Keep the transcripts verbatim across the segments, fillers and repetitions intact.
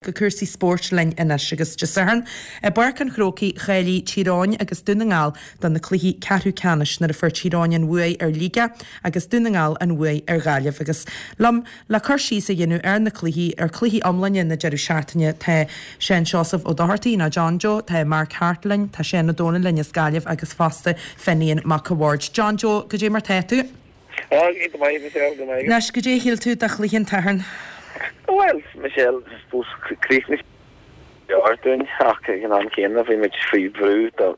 Go cúrsaí spóirt linn anois agus Dé Sathairn i bPáirc an Chrócaigh cháiligh Tír Eoghain agus Dún na nGall do na cluichí ceathrú ceannais nuair a fuair Tír Eoghain an bhuaidh ar Shligeach agus Dún na nGall an bhuaidh ar Ghaillimh agus liom le cur síos a dhéanamh ar na cluichí ar cluichí iomláine na deireadh seachtaine tá Seán Seosamh Ó Dochartaigh nó John Joe, tá Mark Harte linn, tá Seán Ó Dónaill linn as Gaillimh agus fosta Finian Mac a' Bhaird. John Joe, goidé mar tá tú? Go maith Michelle, go maith. Anois goidé a shíl tú de chluiche an tSathairn? Well, Michelle, suppose chríochnaigh dúinn ach ag an am céanna bhí muid faoi bhrú do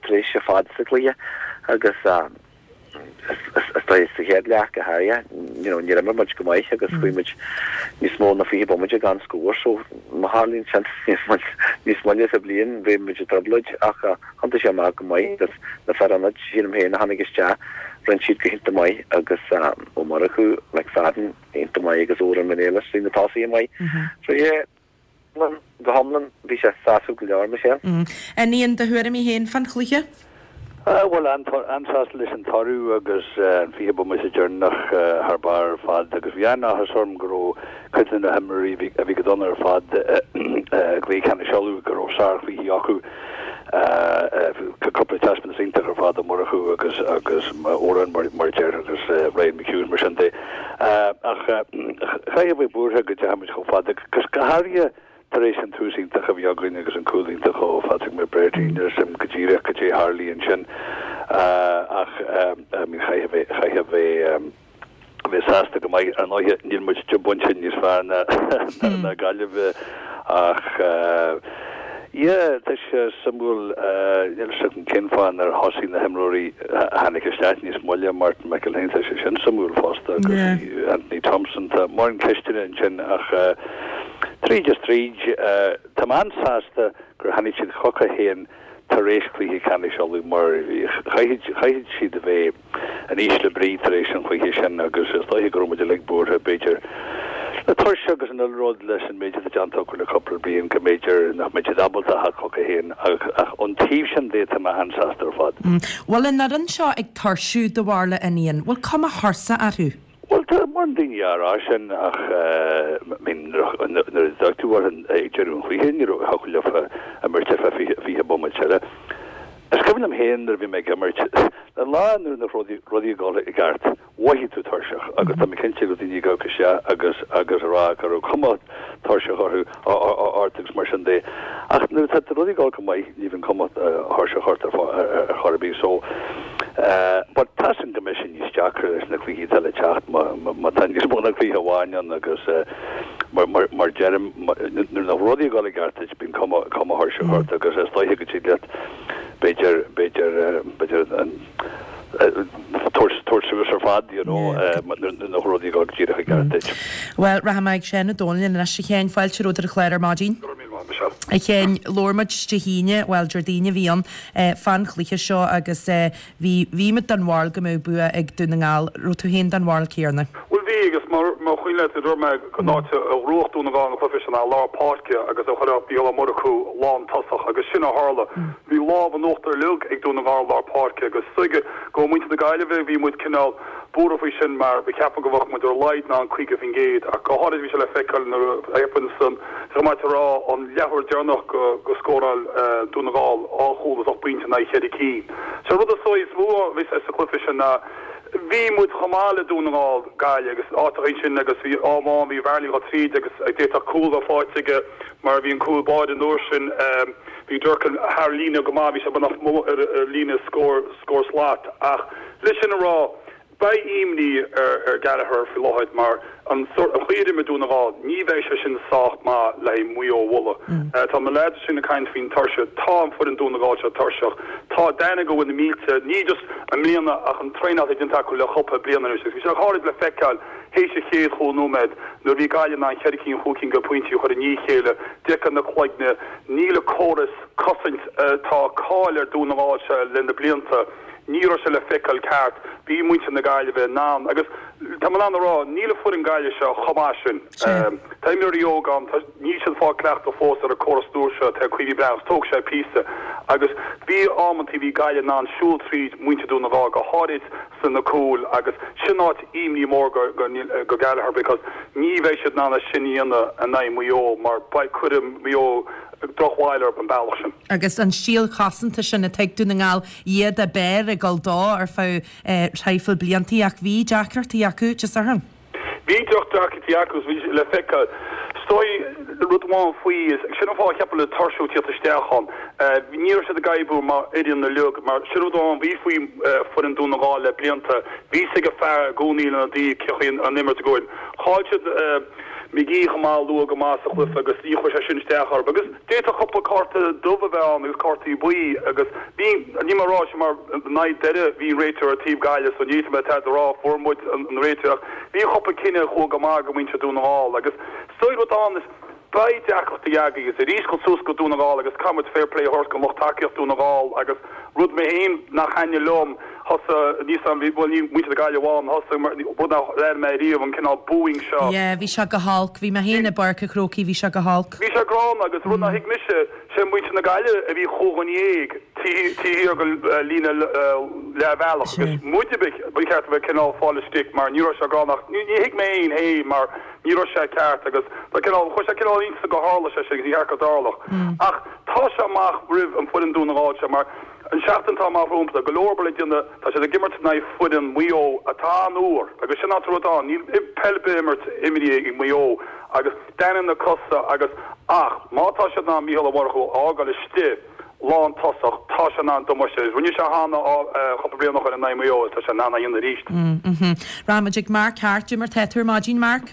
tréimhse fada sa chluiche agus is dóigh sa chéad leath go háirithe you know, níor imir muid go maith agus chuaigh muid níos mó ná fiche bomaite gan scór so má tharlaíonn sin níos moille sa bhliain bhí muid i dtrioblóid ach thiontaigh sé amach go maith agus na fir ionaid sílim féin a tháinig isteach rinne siad go hiontach maith agus Ó Murchú McFadden iontach maith agus Odhrán Mac Niallais na tosaithe maith. So yeah, go hiomlán bhí sé sásúil go leor Michelle. Ian do thuairimí féin fan chluiche? Bhuel an-sásta leis an toradh agus an fiche bomaite deireanach thar barr ar fad agus bhí an-áthas orm go raibh cuid de na himreoirí a bhí go dona ar fad gcluiche ceannais Uladh go raibh sárchluichí acu cúpla taispeántas iontach ar fad ó Murchú agus agus Odhrán mar mar deir agus Ryan McHugh mar sin de ach chaithfidh bheith buartha go dteachaigh chomh fada agus go háirithe tar éis an tús iontach a bhí againn agus an cúl iontach ó Phatrick McBrearty sim go díreach go dtí tharlaigh ansin ach chaithfidh bheith chaithfidh bheith bheith sásta go maith ar ndóigh níl muid de bhainte níos fearr ná ná Gaillimh ach yeah tá sé suimiúil níl sé an cén fáth ar thosaigh na himreoirí tháinig isteach níos moille Martin McElhane tá sé sin suimiúil fosta agus Anthony Thompson tá mórán ceisteanna ansin ach tríd is tríd tá mé an-sásta gur tháinig siad chucu féin tar éis cluiche ceannais Uladh mar chaithfidh siad a bheith in ísle brí tar éis an chluiche sin agus is dóiche go raibh muid uilig buartha b'fhéidir le tuirse agus an rud leis an méid atá déanta acu le cúpla bliain go mb'fhéidir nach mbeidh siad ábalta a theacht chucu féin ach ach ón taobh sin de tá mé an-sásta ar fad. Bhfuil an fhoireann seo ag tuirsiú do bharúil a Fhinian, bhfuil cuma thuirseach orthu? Well tá mórán daoine á rá sin ach nuair a d'fhág tú ag deireadh an chluiche ní raibh thiocfadh leofa imirt ar feadh fiche bomaite eile. Is cuimhin liom féin nuair a bhí mé ag imirt an lá nuair nach rudaí rudaí ag dul i gceart mhothaigh tú tuirseach agus tá mé cinnte go daoine ag isteach agus agus a rá go raibh cuma tuirseach orthu ort agus mar sin de. Ach nuair atá rudaí ag dul go maith ní bhíonn cuma thuirseach ort ar chor ar bith so but tá sin go mbeidh sé níos deacra leis na cluichí atá le teacht má tá níos mó ná cluiche amháin ann agus mar mar mar deirim nuair nach rudaí ag dul i gceart duit bíonn cuma cuma thuirseach ort agus is dóiche go dtig leat b'fhéidir b'fhéidir b'fhéidir an tabhairt suas ar fad you know nuair nach rudaí ag dul díreach i gceart duit. Well rachaidh mé ag Seán Ó Dónaill anois a Sheáin fáilte romhat ar an chlár ar maidin. A Sheáin labhair muid Dé hAoine, bhuel Déardaoin a bhí ann fan chluiche seo agus bhí bhí muid den bharúil go mbeadh bua ag Dún na nGall, raibh tú féin den bharúil céanna? Bhuel bhí agus mar mar chuimhin leat dúirt mé go áit a ghnóthódh Dún na nGall an cluiche sin ná lár páirce agus a chuirfeadh Mícheál Ó Murchú lántosach agus sin a tharla. Bhí lámh in uachtar uilig ag Dún na nGall lár páirce agus tuige go muintir na Gaillimhe bhí muid cineál buartha faoi sin mar bhí ceapadh go bheadh muid ar laghad ná an caoga faoin gcéad ach go háirid bhí sé le feiceáil nuair a thaipin san go rá an leathuair deireanach go go scóráil Dún na nGall dhá chúl is ocht bpointe in aghaidh cheithre cinn. Sé rud is is mó a bhí sa chluiche sin ná bhí muid chomh maith le Dún na nGall Gaillimh agus áiteacha sin agus bhí am amháin bhí Varley go tríd agus d'fhéadfadh cúl a bheith faighte aige mar bhí an cúl báire an uair sin bhí Durcan thar líne go maith bhí sé beagnach ar ar líne scór scór slat ach leis sin a rá Beidh imní ar ar Gallagher faoi láthair mar an an chaoi a d'imir Dún na nGall ní bheidh sé sin sách maith le haghaidh Maigh Eo a bhualadh. Tá na lads sin ag caint faoin tuirse, tá an foireann Dún na Gall seo tuirseach. Tá d'aithne go bhfuil na mílte, ní just i mbliana ach an traenáil atá déanta acu le cúpla bliain anois agus bhí sé háirid le feiceáil théis an chéad chúig nóiméad nuair a bhí Gaillimh in ann ceithre cinn chúig cinn de phointí a chur i ndiaidh a chéile, d'fheicfeá na cloigne, níl an córas cosaint atá cáil ar Dún na nGall seo le na blianta. Ní raibh sé le feiceáil ceart, bhí muintir na Gaillimhe in ann agus tá mé in ann a rá, níl an foireann Gaillimh seo chomh maith sin. Tá imreoirí óga ann, tá, níl siad fáil cleachtadh fós ar an córas nua seo, tá Caoimhín Breathnach, tógfaidh sé píosa. Agus bhí amantaí bhí Gaillimh in ann siúl tríd muintir Dún na nGall, go háirid sna cúil agus sin áit imní mór go go Gallagher because ní bheidh siad in ann é sin a dhéanamh in aghaidh Maigh Eo mar beidh cuirfidh Maigh Eo drochbhail orthu an bealach sin. Agus an stíl chosanta sin a tuig Dún na nGall iad ab fhearr ag dul dó ar feadh traidhfil bliantaí ach bhí deacrachtaí acu Dé Sathairn. Bhí drochdeacrachtaí acu bhí le feiceáil. Is dóigh rud amháin faoi is sin an fáth a cheapaim le tuirsiú tíocht isteach ann. Ní raibh siad ag oibriú mar fhoireann uilig mar sin rud amháin bhí faoi foireann Dún na nGall le blianta. Bhí a fhios ag fear i gcónaí lena dtaobh cén chaoi an imirt ag goil. Chaill siad McGee chomh maith luath go maith sa chluiche agus ní chuir sé sin isteach orthu. Agus d'fhéadfadh cúpla cárta dubh a bheith ann agus cártaí buí agus bhí, níl mé ag rá sin mar in aghaidh deireadh bhí an réiteoir ar taobh Gaillimh so ní fhéadfaidh mé tada a rá, fuair muid an réiteoir ach bhí cúpla cinneadh a chuaigh go maith go muintir Dún na nGall agus is dóigh rud ann is beidh deacrachtaí againn agus arís dul suas go Dún na nGall agus caithfidh muid fair play a thabhairt don lucht tacaíocht Dún na nGall agus rud mé féin nach thaitnigh liom thosaigh níos am bhuel ní muintir na Gaillimhe amháin thosaigh mar rud nach ndearna mé riamh an cineál booing seo. Yeah bhí sé go holc bhí mé féin i bPáirc an Chrócaigh bhí sé go holc. Bhí sé gránna agus rud nach thuig mise sé muintir na Gaillimhe a bhí chúig dhuine dhéag taobh thiar den líne leathbhealach agus muide ba cheart a bheith cineál fáil istigh mar ní raibh sé gránna ach ní thuig mé féin é mar ní raibh sé ceart agus tá cineál chuir sé cineál iontas go tharla sé sin agus ní cheart go dtarlódh. Ach tá sé amach roimh an foireann Dún na nGall seo mar an seachtain atá amach rompu tá go leor obair le déanamh tá siad ag imirt in aghaidh foireann Maigh Eo atá an-úr agus sin an rud ann níl peil ar bith imirt imrithe ag Maigh Eo agus déanann na cosa agus ach má tá siad in ann Mícheál Ó Murchú a fhágáil istigh lán tosach tá sé in ann damáiste rinne sé cheana cúpla bliain ó shin in aghaidh Maigh Eo tá sé in ann a dhéanamh arís. Rachaimid ag Mark Harte, cad é mar tá tú ar maidin Mark?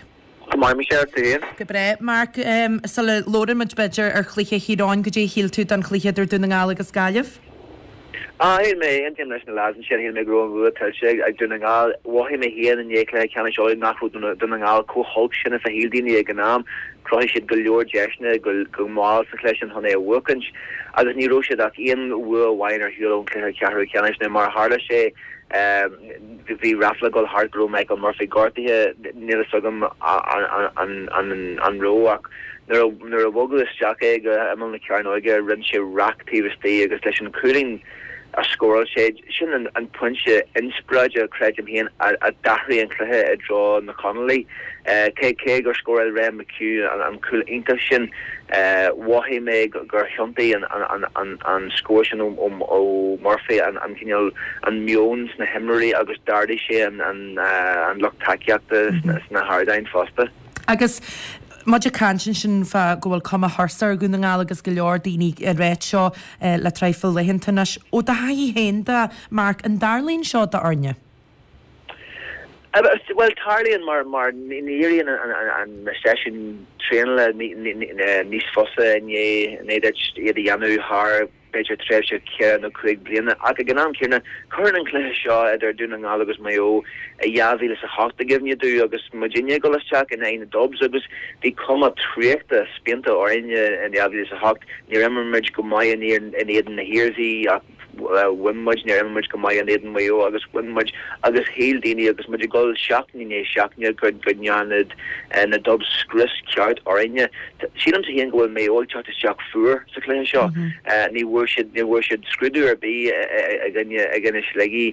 Go maith Michelle, tú féin? Go breá. Mark, sula labhrann muid b'fhéidir ar chluiche Thír Eoghain, goidé a shíl tú den chluiche idir Dún na nGall agus Gaillimh? Ah, shíl mé, aontaím leis na lads ansin, shíl mé go raibh an bhua tuillte ag Dún na nGall. Mhothaigh mé féin i ndiaidh cluiche ceannais Uladh nach raibh Dún na nGall chomh holc sin is a shíl daoine ag an am. Chruthaigh siad go leor deiseanna go go mall sa chluiche sin chun é a bhuachaint agus ní raibh siad ach aon bhua amháin ar shiúl ón chluiche ceathrú ceannais. Now mar a tharla sé, bhí ráfla ag dul thart go raibh Michael Murphy gortaithe, níl fhios agam an raibh ach nuair a bhogadh isteach é go imeall na cearnóige rinne sé raic taobh istigh agus leis an chúilín a scóráil sé, sin an pointe inspioráide, creidim féin, a d'athraigh an cluiche i dtreo na Conallaigh. Cé cé gur scóráil Ryan McHugh an cúl iontach sin, mhothaigh mé gur thiontaigh an scór sin ó Murphy an cineál an meon sna himreoirí agus d'ardaigh sé an lucht tacaíochta sna hardáin fosta. Agus muid ag caint ansin fá go bhfuil cuma thuirseach ar Dhún na nGall agus go leor daoine ag ráit seo le traidhfil laethanta anois. Ó do thaithí féin de, Mark, an dtarlaíonn seo d'fhoirne? Bhuel, tarlaíonn mar mar ní éiríonn na seisiúin traenála níos fusa i ndiaidh duit iad a dhéanamh thar b'fhéidir tréimhse ceithre nó cúig bliana. Ach ag an am céanna, cuireann an cluiche seo idir Dún na nGall agus Maigh Eo i dhá mhíle is a hocht i gcuimhne domh agus muidinne ag dul isteach in aghaidh na Dubs agus bhí cuma traochta spíonta orainn in dhá mhíle is a hocht. Níor imir muid go maith in éadan na hIarmhí ach bhain muid, níor imir muid go maith in éadan Mhaigh Eo agus bhain muid agus shíl daoine agus muid ag dul seachtain i ndiaidh seachtaine go ndéanfadh na Dubs scrios ceart orainne. Sílimse féin go bhfuil Maigh Eo ag teacht isteach fuar sa chluiche seo. Ní bhfuair siad, ní bhfuair siad scrúdú ar bith i gcoinne, i gcoinne Shligigh.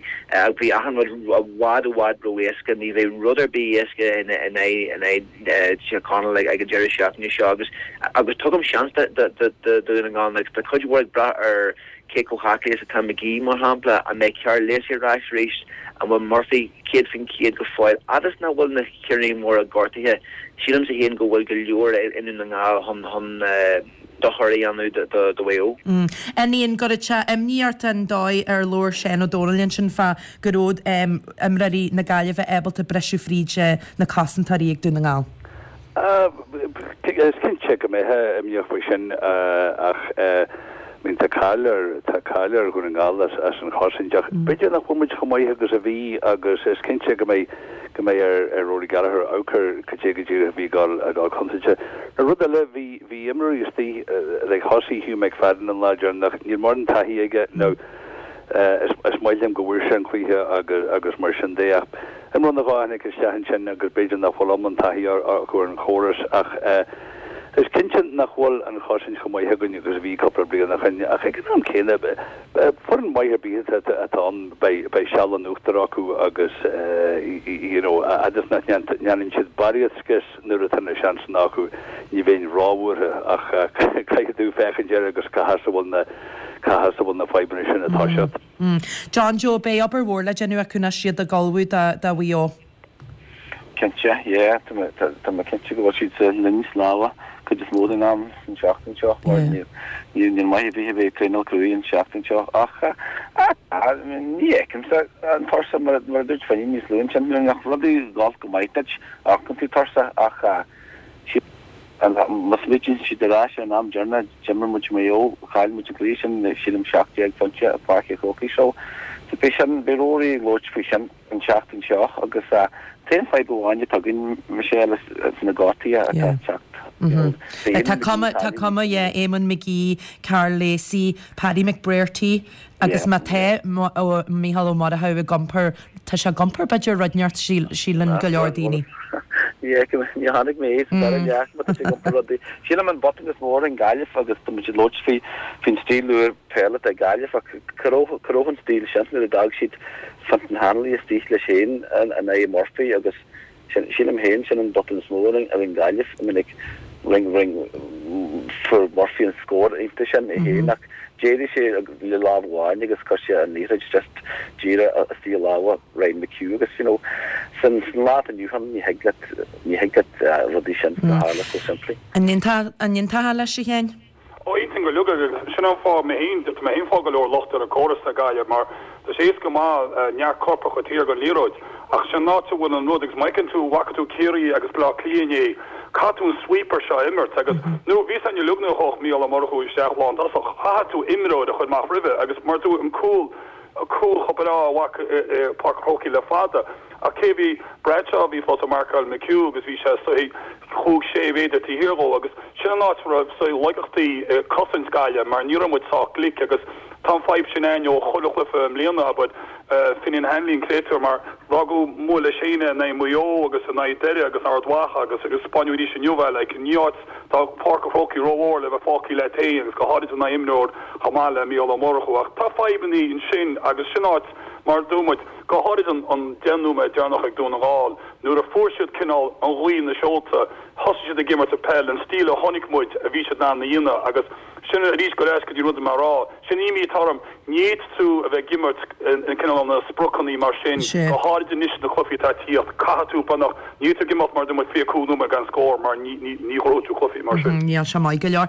Bhí achan rud i bhfad, i bhfad ró-éasca. Ní bheidh rud ar bith éasca in aghaidh, in aghaidh Tír Chonaill ag an deireadh seachtaine seo agus, agus tugaim seans do, do, do Dhún na nGall. Tá cuid mhór ag brath ar cé chomh haclaí is atá McGee, mar shampla, an mbeidh Karl Lacey ar ais arís, an bhfuil Murphy céad faoin chéad go fóill, fhad is nach bhfuil na cinnirí móra gortaithe, sílimse féin go bhfuil go leor i nDún na nGall chun chun dochar a dhéanamh do Mhaigh Eo. An gcuireann sé imní ort an dóigh ar labhair Seán Ó Domhnaill ansin fá go raibh imreoirí na Gaillimhe ábalta briseadh fríd na cosantóirí ag Dún na nGall? Is cinnte go mbeifeá imníoch faoi sin ach I mean tá cáil ar tá cáil ar Dhún na nGall as as an chosaint ach b'fhéidir nach bhfuil muid chomh maith agus a bhí agus is cinnte go mbeidh go mbeidh ar ar Rory Gallagher amharc ar cad é go díreach a bhí ag dul ag dul contúirte. An rud eile bhí bhí imreoirí istigh like thosaigh Hugh McFadden an lá deireanach níl mórán taithí aige nó is is maith liom go bhfuair sé an cluiche agus agus mar sin de ach imreoir nó dhó a tháinig isteach ansin agus b'fhéidir nach bhfuil iomlán taithí acu ar an chóras ach Is cinnte nach bhfuil an chosaint chomh maith againn agus a bhí cúpla bliain ó shin, ach ag an am céanna, foireann mhaith ar bith atá ann, beidh seal in uachtar acu agus you know fhad is nach ndéanann siad barraíocht scios nuair atá na seansanna acu, ní bheinn róbhuartha ach caithfidh tú féachaint air agus cá has a bhfuil na cá has a bhfuil na fadhbanna sin ag toiseacht. John Joe, beidh obair mhór le déanamh acu anois iad ag ullmhú do Mhaigh Eo. Cinnte, yeah, tá mé tá mé cinnte go bhfuil siad sa linn snámha cuid is mó den am an tseachtain seo mar níl níl maith ar bith a bheith ag traenáil cruaidh an tseachtain seo ach ní fheicimse an tuirse mar mar a dúirt Finny níos luaithe ansin nuair nach rudaí ag dul go maith duit amharcann tú tuirseach ach má smaoitíonn siad ar ais ar an am deireanach d'imir muid Maigh Eo chaill muid an cluiche sin sílim seacht déag pointe i Páirc an Chrócaigh so beidh sin beidh Rory ag labhairt faoi sin an tseachtain seo agus an t-aon fadhb amháin atá againn Michelle is na gortuithe atá ag teacht. Tá cuma tá cuma yeah Eamonn McGee, Karl Lacey, Paddy McBrearty agus má tá Mícheál Ó Murchú ag iompar tá sé ag iompar b'fhéidir rud inteacht síleann go leor daoine. Yeah ní chonaic mé é sa dara leath má tá sé ag iompar rudaí. Sílim an botún is mó ar an Gaillimh agus tá muid ag labhairt faoi faoin stíl úr peile atá ag Gaillimh ach cá raibh cá raibh an stíl sin nuair a d'fhág siad Fintan Hanley istigh leis féin in aghaidh Murphy agus sin sílim féin sin an botún is mó ar an ar an Gaillimh. I mean like ring ring fuair Murphy an scór iontach sin é féin ach d'éirigh sé le lámh amháin agus chuir sé an liathróid just díreach istigh i lámha Ryan McHugh agus you know san san lá atá inniu ann ní thig leat ní thig leat rudaí sin a tharla chomh simplí. An n-aontófá leis, a Sheáin? Ó, aontaím go uilig agus sin an fáth mé féin, tá mé féin ag fáil go leor locht ar an gcóras ag Gaillimh mar tá sé éasca go maith neart coirpeach a chur thiar den liathróid ach sin an áit a bhfuil an rud agus má fheiceann tú, bhfaca tú Ciarraí agus Baile Átha Cliath inné, caithfidh tú an sweeper seo a imirt agus nó bhí san uilig nuair a chuaigh Mícheál Ó Murchú isteach lántosach, chaithfeadh tú imreoir a chur amach roimhe agus mar tú an cúl cúl chomh breá a bhfaca i Páirc an Chrócaigh le fada. Ach cé bhí Bradshaw, bhí fós ag marcáil McHugh agus bhí sé saghas chúig sé mhéadar taobh thiar dhó agus sin an áit a raibh saghas laigeachtaí i cosaint Gaillimh mar ní raibh muid sách glic agus tá an fadhb sin againn ó chuile chluiche i mbliana, abair, Finian Hanley an créatúr mar d'fhágadh amuigh leis féin é in aghaidh Mhaigh Eo agus in aghaidh Doire agus Ard Mhacha agus agus spáineadh arís inniu é like ní áit tá Páirc an Chrócaigh rómhór le bheith fágtha leat féin agus go háirid in aghaidh imreoir chomh maith le Mícheál Ó Murchú ach tá fadhbannaí ansin agus sin áit mar a dúirt muid go háirid an an deich nóiméad deireanach ag Dún na nGall nuair a fuair siad cineál an ghaoth ina seolta thosaigh siad ag imirt an peil an stíl a chonaic muid a bhí siad in ann a dhéanamh agus Sin arís go ar ais go dtí rud a mé a rá. Sin imní atá orm. Ní fhéadfaidh tú a bheith ag imirt in cineál na spriocanna mar sin, go háirid anois sna cluichí atá ag tíocht. Caithfidh tú beagnach, ní fhéadfaidh tú ag imeacht mar a dúirt muid fiche cúig nóiméad gan scór mar ní ghnóthóidh tú cluichí mar sin. Níl sé maith go leor.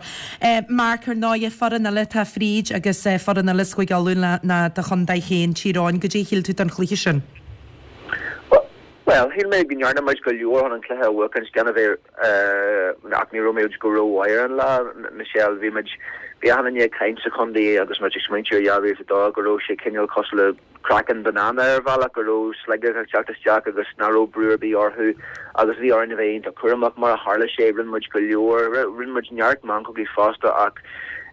Mark, ar ndóigh, foireann eile atá fríd agus foireann eile as Cúige Uladh ná do chontae féin, Tír Eoghain. Goidé a shíl tú den chluiche sin? Bhuel, shíl mé go ndearna muid go leor chun an cluiche a bhuachaint, gan a bheith, ach ní raibh muid go rómhaith ar an lá, Michelle. Bhí muid, bhí achan duine ag caint sa chontae agus muid ag smaointiú ar dhá mhíle is a dó go raibh sé cineál cosúil le craiceann banana ar bhealach, go raibh Sligeach ag teacht isteach agus nach raibh brú ar bith orthu agus bhí orainn a bheith iontach cúramach. Mar a tharla sé, rinne muid go leor, rinne muid neart meancógaí fosta ach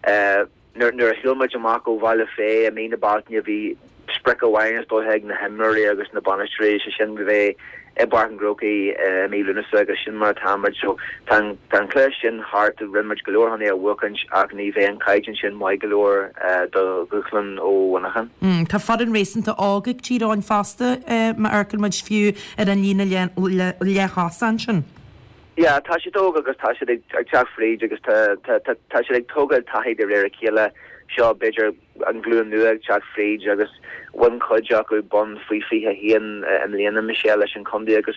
eh, Nuair a shiúil muid amach ó Bhaile Féith i mí na Bealtaine bhí sprioc amháin is dóiche ag na himreoirí agus na bainisteoirí, sé sin bheith i bPáirc an Chrócaigh i mí Lúnasa agus sin mar atá muid. So tá an cluiche sin thart, rinne muid go leor chun é a bhuachaint ach ní bheidh an caighdeán sin maith go leor do dhúshlán ó Mhuineachán. Tá foireann réasúnta óg ag Tír Eoghain fosta má amharcann muid fiú ar an líne leath-thosach ansin. Yeah, tá siad óg agus tá siad ag teacht fríd agus tá tá tá tá siad ag tógáil taithí de réir a chéile. Seo b'fhéidir an glúin nua ag teacht fríd agus bhain cuid acu bonn faoi fiche a haon i mbliana, Michelle, leis an chontae agus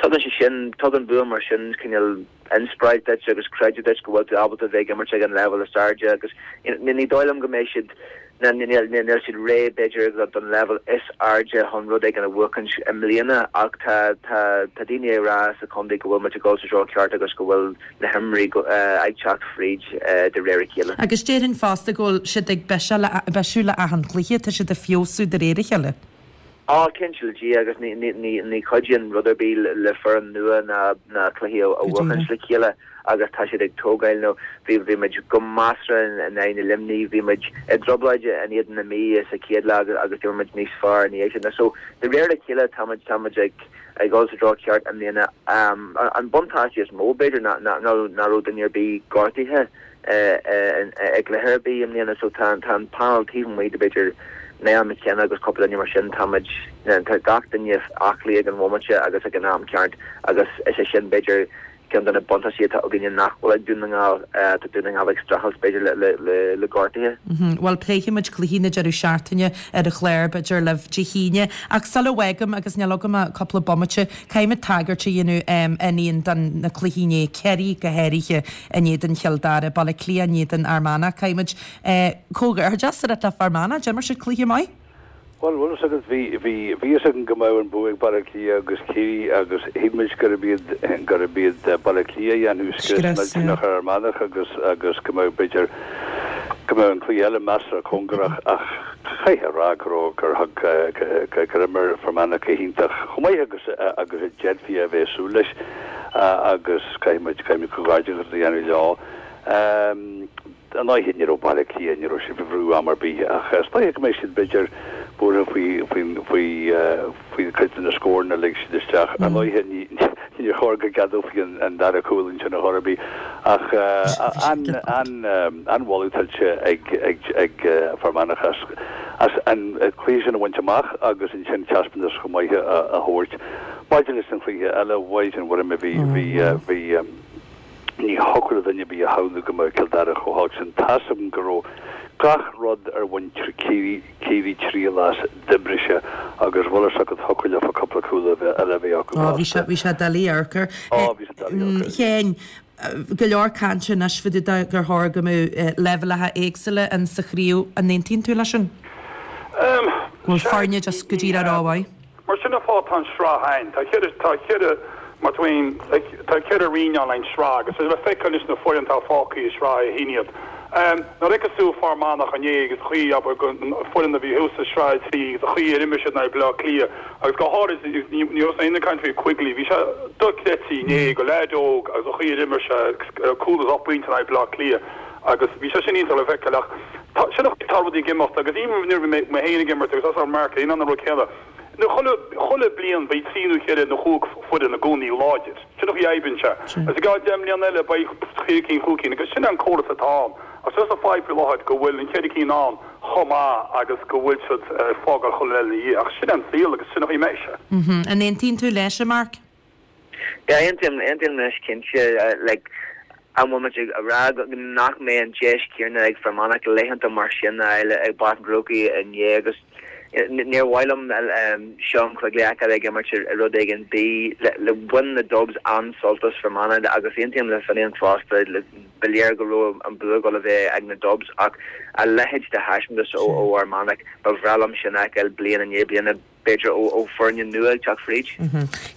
tugann sé sin, tugann bua mar sin cineál inspioráid duit agus creideamh duit go bhfuil tú ábalta bheith ag imirt ag an leibhéal is airde agus ní dóigh liom go mbeidh siad Níl siad réidh, b'fhéidir, don leibhéal is airde chun rud éigin a bhuachaint i mbliana ach tá daoine ag rá sa chontae go bhfuil muid ag dul sa treo ceart agus go bhfuil na himreoirí ag teacht fríd de réir a chéile. Agus déarfainn fosta go bhfuil siad ag bisiú le achan chluiche, tá siad ag feabhsú de réir a chéile. Á, cinnte le Dia agus ní chuidíonn rud ar bith le foireann nua ná cluichí a bhuachaint le chéile. agus tá siad ag tógáil nó bhí bhí muid go measartha in aghaidh na Luimnigh, bhí muid i dtrioblóid in éadan na Mí sa chéad lá agus d'imir muid níos fearr ina dhiaidh sin. So de réir a chéile tá muid tá muid ag ag dul sa treo ceart i mbliana. An buntáiste is mó b'fhéidir ná ná nach raibh duine ar bith gortaithe i gcluiche ar bith i mbliana so tá tá an panel taobh amuigh de b'fhéidir Niall McKenna agus cúpla duine mar sin tá muid tá gach duine aclaí ag an bhomaite agus ag an am ceart agus is é sin b'fhéidir ceann de na buntáistí atá againne nach bhfuil ag Dún na nGall. Tá Dún na nGall ag streachailt b'fhéidir le gortuithe. Bhuel, pléifidh muid cluichí na deireadh seachtaine ar an chlár, b'fhéidir, libh Dé hAoine. Ach sula bhfágaim, agus níl agam ach cúpla bomaite, caithfidh mé tagairt a dhéanamh, a Fhinian, do na cluichí inné, Ciarraí go háirithe in éadan Chill Dara, Baile Átha Cliath in éadan Fhear Manach. Caithfidh muid comhghairdeas a rá le Fear Manach, d'imir siad cluiche maith. Bhuel, bhfuil fhios agat, bhí, bhí, bhí fhios againn go mbeadh an bua ag Baile Átha Cliath agus Ciarraí agus shíl muid gurb iad, gurb iad Baile Átha Cliath a dhéanfadh scrios millteanach ar Fhear Manach agus, agus go mbeadh, b'fhéidir, go mbeadh an cluiche eile measartha cóngarach ach chaithfeá a rá go raibh, gur thug, gur imir Fear Manach go hiontach, chomh maith agus, agus a d'fhéadfaí a bheith ag súil leis agus caithfidh muid, caithfidh muid comhghairdeachas a dhéanamh leo. Ar ndóigh ní raibh Baile Átha Cliath, ní raibh siad faoi bhrú am ar bith ach is dóiche go mbeidh siad b'fhéidir buartha faoi faoi faoi faoi chuid de na scóranna a lig siad isteach. Ar ndóigh ní níor chóir go gceadófaí an an dara cúl ansin ar chor ar bith ach an an an-mholadh tuillte ag ag ag Fear Manach as as an cluiche sin a bhaint amach agus ansin taispeántas chomh maith a a thabhairt. Maidir leis an chluiche eile, Mhaighdean Mhuire bhí bhí bhí Ní thiocfadh le duine ar bith a shamhlú go mbeadh Cill Dara chomh holc sin. Tá's agam go raibh gach rud ar mhuintir Chiarraí triail as, d'oibrigh sé agus bhfuil fhios agat thiocfadh leofa cúpla cúl eile a bheith acu Ó, bhí fosta. sé, bhí sé doiligh amharc air. Ó, bhí sé doiligh amharc air. Sheáin, go leor cainte anois fá dtaobh de gur chóir go mbeadh leibhéalacha éagsúla in sa chraobh. An aontaíonn tú leis sin? Go bhfuil Sea, foirne just go ní díreach hea. rómhaith? Mar sin an fáth tá an sraith ann. Tá ceithre, tá ceithre, mar tá aon, tá ceithre roinn ann an sraith agus le feiceáil anois na foireann atá fágtha i sraith a haon iad. Nuair a fheiceas tú Fear Manach inné agus an chaoi, abair, go foireann a bhí thuas i sraith a trí agus an chaoi ar imir siad in aghaidh Baile Átha Cliath agus go háirid, ní ní raibh aon caint faoi Quigley, bhí sé dochreidte inné go leaid óg agus an chaoi ar imir sé cúl agus ocht bpointe in aghaidh Baile Átha Cliath agus bhí sé sin iontach le feiceáil ach tá, sin an chaoi atá rudaí ag imeacht agus even nuair a bhí mé mé féin ag imirt agus as ar Mark, in ann an rud céanna. Nó chuile, chuile bliain beidh trí nó ceithre nó chúig foireann i gcónaí láidir. Sin an chaoi a oibríonn sé. Agus i gceann deich mbliana eile beidh ceithre cinn, chúig cinn agus sin é an córas atá ann. Ach just an fadhb faoi láthair go bhfuil an ceithre cinn ann chomh maith agus go bhfuil siad ag fágáil chuile eile ina dhiaidh. Ach sin é an saol agus sin an chaoi a mbeidh sé. An aontaíonn tú leis, a Mark? Yeah, aontaím, aontaím leis cinnte. Like, an bhfuil muid ag rá nach mbeidh an deis céanna ag Fear Manach laethanta mar sin a fháil ag Páirc an Chrócaigh inné agus níor mhaith liom Sean Quigley a fheiceáil ag imirt i rud éigin B. Bhain na Dubs an-sult as Fear Manach agus aontaím le Finian fosta, ba léir go raibh an bua ag dul a bheith ag na Dubs ach a leithéid de thaispeántas ó Fhear Manach, ba bhreá liom sin a fheiceáil bliain i ndiaidh bliana. b'fhéidir ó foirne nua ag teacht fríd.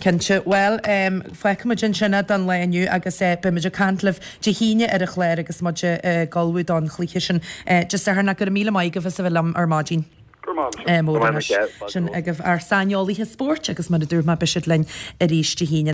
Cinnte. Bhuel, fágfaidh muid ansin é don lá inniu agus beidh muid ag caint libh Dé hAoine ar an chlár agus muid ag ullmhú don chluiche sin Dé Sathairn. Ach go raibh míle maith agaibh as a bheith liom ar maidin. Go raibh maith agat. Mór anois. Sin agaibh ár saineolaithe spóirt agus mar a dúirt mé beidh siad linn arís Dé hAoine.